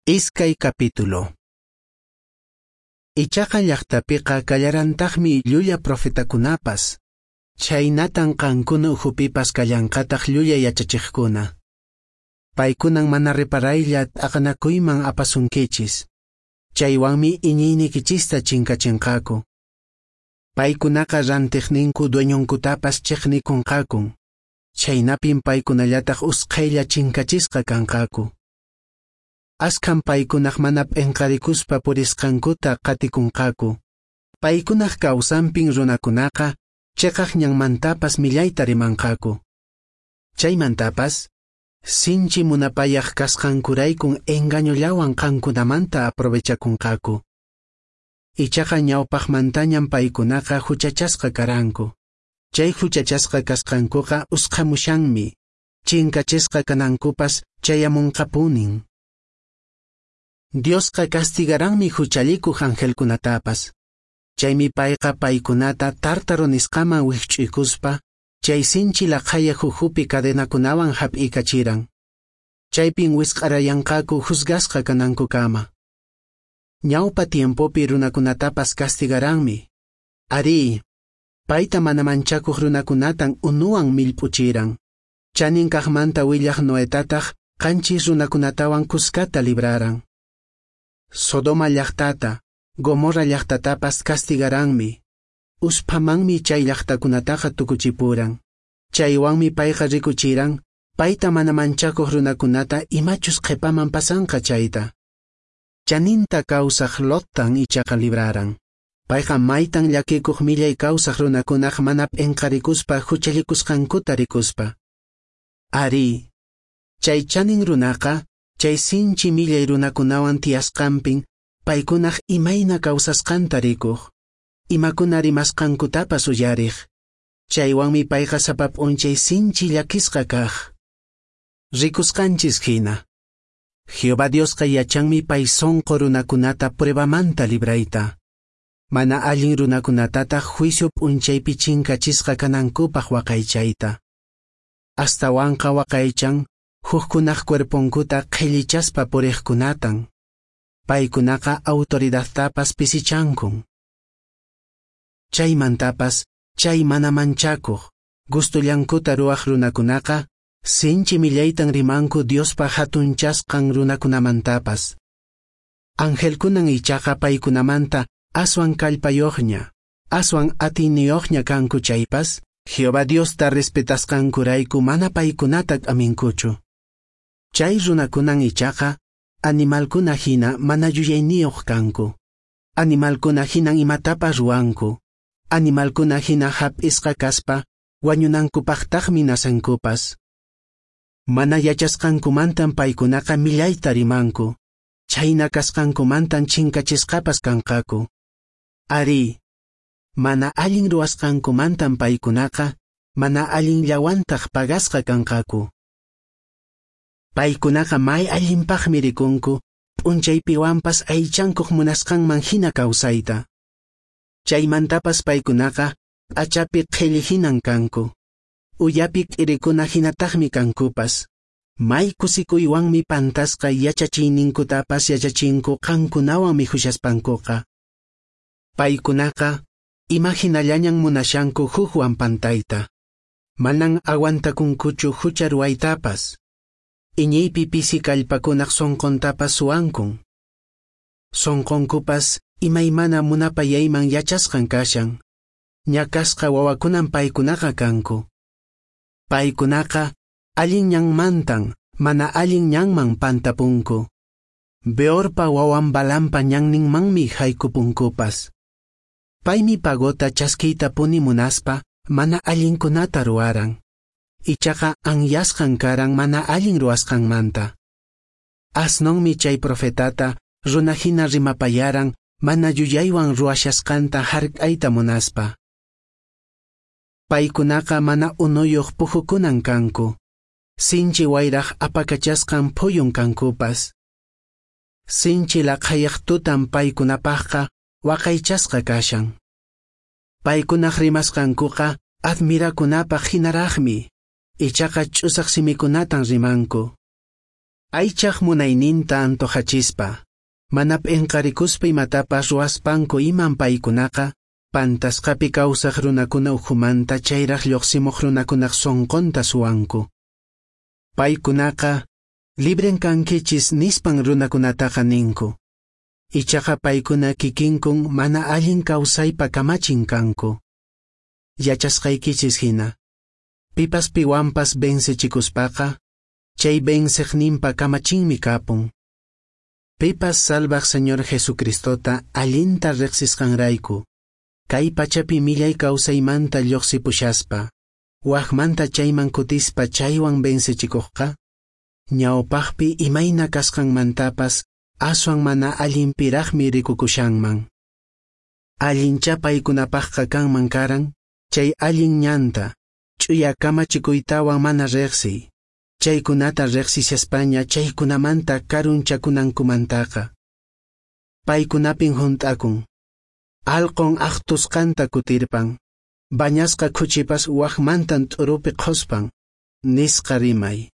Iskay capítulo. Ichaqa llaqtapiqa kallarantaqmi llulla profetakunapas. Chhaynatan qankuna ukhupipas kallanqataq llulla yachachiqkuna. Paykunan mana reparaylla t'aqanakuyman apasunkichis. Chaywanmi iñiynikichista chinkachinqaku. Paykunaqa rantiqninku dueñonkutapas chiqnikunqakun. Chhaynapin paykunallataq usqhaylla chinkachisqa kanqaku. Askhan paykunaq mana p'inqarikuspa purisqankuta qatikunqaku. Paykunaq kawsanpin runakunaqa chiqaq ñanmantapas millayta rimanqaku. Chaymantapas, sinchi munapayaq kasqankuraykun engañollawan qankunamanta aprovechakunqaku. Ichaqa ñawpaqmantañan paykunaqa huchachasqa karanku. Chay huchachasqa kasqankuqa usqhamushanmi, chinkachisqa kanankupas chayamunqapunin. Diosqa castigaranmi huchallikuq angelkunatapas. Chaymi payqa paykunata tártaro nisqaman wikch'uykuspa, chay sinchi laqhayaq ukhupi cadenakunawan hap'iykachiran. Chaypin wisq'arayanqaku juzgasqa kanankukama. Ñawpa tiempopi runakunatapas castigaranmi. Arí, payta mana manchakuq runakunatan unuwan millp'uchiran. Chanin kaqmanta willaq Noetataq qanchis runakunatawan kuskata libraran. Sodoma llaqtata, Gomorra llaqtatapas castigaranmi. Usphamanmi chay llaqtakunataqa tukuchipuran. Chaywanmi payqa rikuchiran, payta mana manchakuq runakunata imachus qhipaman pasanqa chayta. Chaninta kawsaq Lottan ichaqa libraran. Payqa maytan llakikuq millay kawsaq runakunaq mana p'inqarikuspa huchallikusqankuta rikuspa. Arí, chay chanin runaqa, chay sinchi millay runakunawan tiyasqanpin, paykunaq imayna kawsasqanta rikuq, imakuna rimasqankutapas uyariq. Chaywanmi payqa sapa p'unchay sinchi llakisqa kaq. Rikusqanchis hina, Jehová Diosqa yachanmi pay sonqo runakunata pruebamanta librayta. Mana allin runakunatataq juicio p'unchaypi chinkachisqa kanankupaq waqaychayta. Astawanqa waqaychan hukkunaq cuerponkuta qhillichaspa puriqkunatan. Paykunaqa autoridadtapas pisichankun. Chaymantapas, chay mana manchakuq, gustullankuta ruwaq runakunaqa, sinchi millaytan rimanku Diospa hatunchasqan runakunamantapas. Angelkunan ichaqa paykunamanta aswan kallpayuqña, aswan atiyniyuqña kanku chaypas, Jehová Diosta respetasqankurayku mana paykunata k'aminkuchu. Chay runakunan ichaqa, animalkuna hina mana yuyayniyuq kanku. Animalkuna hinan imatapas ruwanku. Animalkuna hina hap'isqa kaspa, wañunankupaqtaqmi nasankupas. Mana yachasqankumantan paykunaqa millayta rimanku. Chhayna kasqankumantan chinkachisqapas kanqaku. Arí, mana allin ruwasqankumantan paykunaqa, mana allinllawantaq pagasqa kanqaku. Paykunaqa may allinpaqmi rikunku, p'unchaypiwanpas aychankuq munasqanman hina kawsayta. Chaymantapas paykunaqa p'achapi qhilli hinan kanku. Uyapi k'irikuna hinataqmi kankupas. May kusikuywanmi pantasqa yachachiyninkutapas yachachinku qankunawan mikhushaspankuqa. Paykunaqa imahinallañan munashanku hukwan pantayta. Manan aguantakunkuchu hucha ruwaytapas. Iñiypi pisi kallpakunaq sonqontapas suwankun. Sonqonkupas imaymana munapayayman yachasqan kashan. Ñakasqa wawakunan paykunaqa kanku. Paykunaqa allin ñanmantan mana allin ñanman pantapunku. Beorpa wawan Balampa ñanninmanmi haykupunkupas. Paymi pagota chaskiytapuni munaspa mana allinkunata ruwaran. Ichaqa anyasqan karan mana allin ruwasqanmanta. Asnonmi chay profetata runa hina rimapayaran mana yuyaywan ruwashasqanta hark'ayta munaspa. Paykunaqa mana unuyuq puhukunan kanku. Sinchi wayraq apakachasqan phuyun kankupas. Sinchi laqhayaq tutan paykunapaqqa waqaychasqa kashan. Paykunaq rimasqankuqa admirakunapaq hinaraqmi. Ichaqa ch'usaq simikunatan rimanku. Aychaq munayninta antojachispa, mana p'enqarikuspa imatapas ruwaspanku iman paykunaqa, pantasqapi kawsaq runakuna ukhumanta chayraq lluqsimuq runakunaq sonqonta suwanku. Paykunaqa, libren kankichis nispan runakunataqa ninku. Ichaqa paykuna kikinkun mana allin kawsaypa kamachin kanku. Yachasqaykichis hina, pipas piwanpas vencechikuspaqa, chay venceqninpa kamachinmi kapun. Pipas salvaq Señor Jesucristota allinta riqsisqanrayku, kay pachapi millay kawsaymanta lluqsipushaspa, waqmanta chayman kutispa chaywan vencechikuqqa, ñawpaqpi imayna kasqanmantapas aswan mana allinpiraqmi rikukushanman. Allincha paykunapaqqa kanman karan, chay allin ñanta, ch'uya kamachikuytawan mana riqsiy, chaykunata riqsishaspaña chaykunamanta karunchakunankumantaqa. Paykunapin hunt'akun, alqon aqtusqanta kutirpan, bañasqa khuchipas waqmantan t'urupi qhuspan, nisqa rimay.